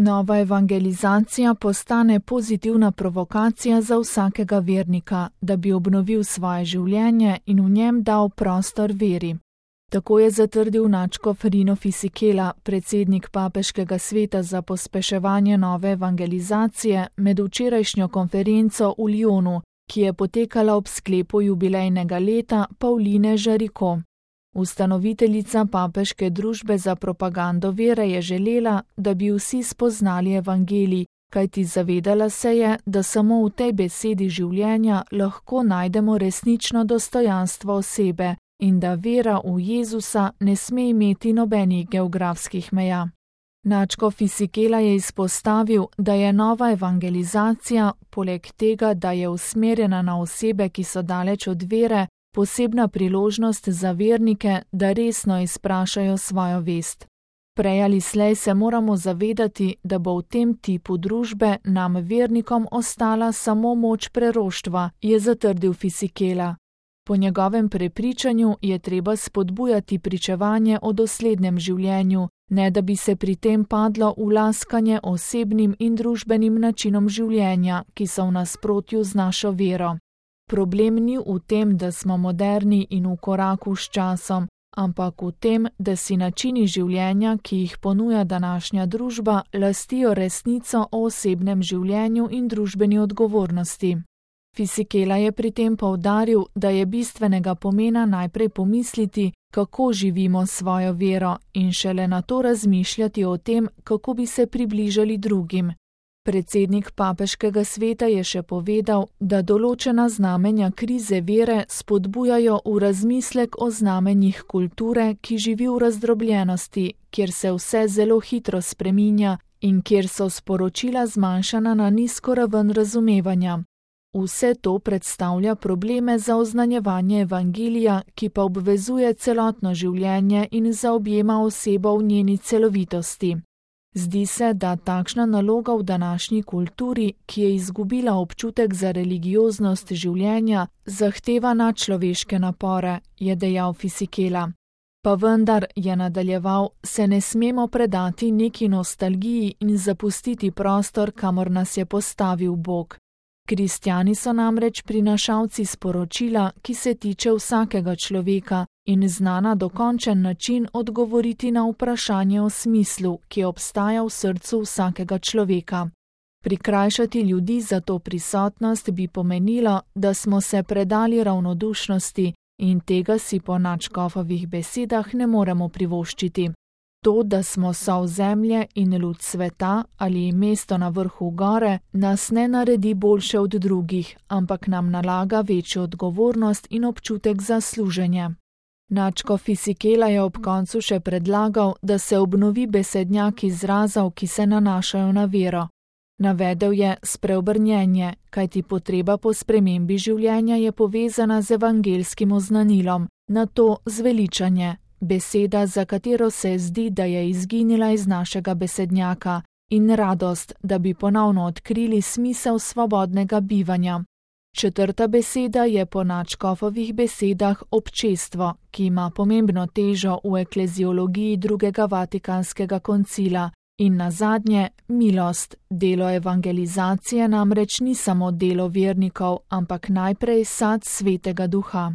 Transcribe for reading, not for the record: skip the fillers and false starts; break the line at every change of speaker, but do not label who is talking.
Nova evangelizacija postane pozitivna provokacija za vsakega vernika, da bi obnovil svoje življenje in v njem dal prostor veri. Tako je zatrdil nadškof Rino Fisichella, predsednik Papeškega sveta za pospeševanje nove evangelizacije, med včerajšnjo konferenco v Lyonu, ki je potekala ob sklepu jubilejnega leta Pauline Jaricot. Ustanoviteljica Papeške družbe za propagando vere je želela, da bi vsi spoznali evangelij, kajti zavedala se je, da samo v tej besedi življenja lahko najdemo resnično dostojanstvo osebe in da vera v Jezusa ne sme imeti nobenih geografskih meja. Nadškof Fisichella je izpostavil, da je nova evangelizacija, poleg tega, da je usmerjena na osebe, ki so daleč od vere, posebna priložnost za vernike, da resno izprašajo svojo vest. Prej ali slej se moramo zavedati, da bo v tem tipu družbe nam vernikom ostala samo moč preroštva, je zatrdil Fisichella. Po njegovem prepričanju je treba spodbujati pričevanje o doslednem življenju, ne da bi se pri tem padlo v laskanje osebnim in družbenim načinom življenja, ki so v nasprotju z našo vero. Problem ni v tem, da smo moderni in v koraku s časom, ampak v tem, da si načini življenja, ki jih ponuja današnja družba, lastijo resnico o osebnem življenju in družbeni odgovornosti. Fisichella je pri tem poudaril, da je bistvenega pomena najprej pomisliti, kako živimo svojo vero in šele nato razmišljati o tem, kako bi se približali drugim. Predsednik Papeškega sveta je še povedal, da določena znamenja krize vere spodbujajo v razmislek o znamenjih kulture, ki živi v razdrobljenosti, kjer se vse zelo hitro spreminja in kjer so sporočila zmanjšana na nizko raven razumevanja. Vse to predstavlja probleme za oznanjevanje evangelija, ki pa obvezuje celotno življenje in zaobjema osebo v njeni celovitosti. Zdi se, da takšna naloga v današnji kulturi, ki je izgubila občutek za religioznost življenja, zahteva nadčloveške napore, je dejal Fisichella. Pa vendar, je nadaljeval, se ne smemo predati neki nostalgiji in zapustiti prostor, kamor nas je postavil Bog. Kristjani so namreč prinašalci sporočila, ki se tiče vsakega človeka in zna na dokončen način odgovoriti na vprašanje o smislu, ki obstaja v srcu vsakega človeka. Prikrajšati ljudi za to prisotnost bi pomenilo, da smo se predali ravnodušnosti in tega si po nadškofovih besedah ne moremo privoščiti. To, da smo sol zemlje in luč sveta ali mesto na vrhu gore, nas ne naredi boljše od drugih, ampak nam nalaga večjo odgovornost in občutek za služenje. Nadškof Fisichella je ob koncu še predlagal, da se obnovi besednjak izrazov, ki se nanašajo na vero. Navedel je spreobrnjenje, kajti potreba po spremembi življenja je povezana z evangelskim oznanilom, nato zveličanje. Beseda, za katero se zdi, da je izginila iz našega besednjaka, in radost, da bi ponovno odkrili smisel svobodnega bivanja. Četrta beseda je po nadškofovih besedah občestvo, ki ima pomembno težo v ekleziologiji drugega Vatikanskega koncila, in nazadnje milost. Delo evangelizacije namreč ni samo delo vernikov, ampak najprej sad Svetega Duha.